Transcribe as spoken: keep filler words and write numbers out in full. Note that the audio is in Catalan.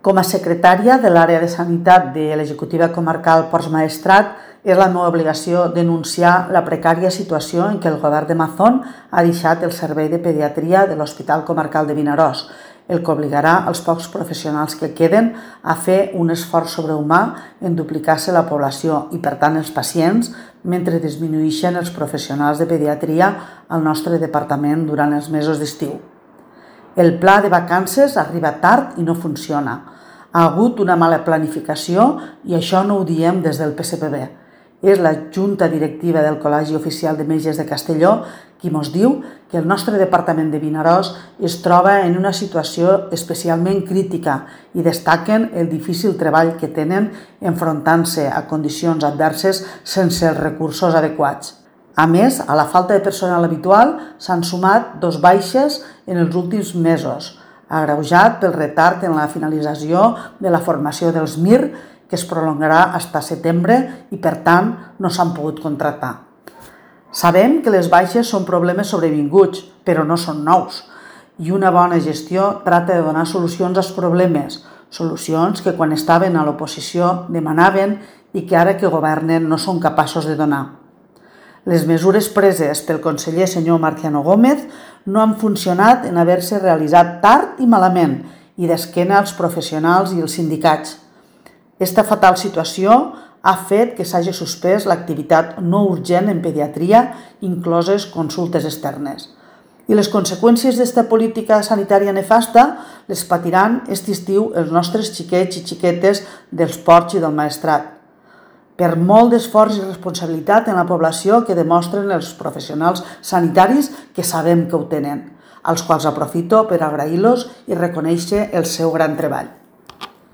Com a secretària de l'àrea de sanitat de l'executiva comarcal Ports Maestrat, és la meva obligació denunciar la precària situació en què el govern de Mazón ha deixat el servei de pediatria de l'Hospital Comarcal de Vinaròs, el que obligarà els pocs professionals que queden a fer un esforç sobrehumà en duplicar-se la població i, per tant, els pacients, mentre disminueixen els professionals de pediatria al nostre departament durant els mesos d'estiu. El pla de vacances arriba tard i no funciona. Ha hagut una mala planificació i això no ho diem des del P S P B. És la Junta Directiva del Col·legi Oficial de Metges de Castelló qui ens diu que el nostre departament de Vinaròs es troba en una situació especialment crítica i destaquen el difícil treball que tenen enfrontant-se a condicions adverses sense els recursos adequats. A més, a la falta de personal habitual s'han sumat dos baixes en els últims mesos, agreujat pel retard en la finalització de la formació dels M I R, que es prolongarà fins a setembre i, per tant, no s'han pogut contractar. Sabem que les baixes són problemes sobrevinguts, però no són nous, i una bona gestió tracta de donar solucions als problemes, solucions que quan estaven a l'oposició demanaven i que ara que governen no són capaços de donar. Les mesures preses pel conseller senyor Marciano Gómez no han funcionat en haver-se realitzat tard i malament i d'esquena als professionals i els sindicats. Aquesta fatal situació ha fet que s'hagi suspès l'activitat no urgent en pediatria, incloses consultes externes. I les conseqüències d'esta política sanitària nefasta les patiran aquest estiu els nostres xiquets i xiquetes dels Ports i del Maestrat. Per molt d'esforç i responsabilitat en la població que demostren els professionals sanitaris que sabem que ho tenen, als quals aprofito per agrair-los i reconèixer el seu gran treball.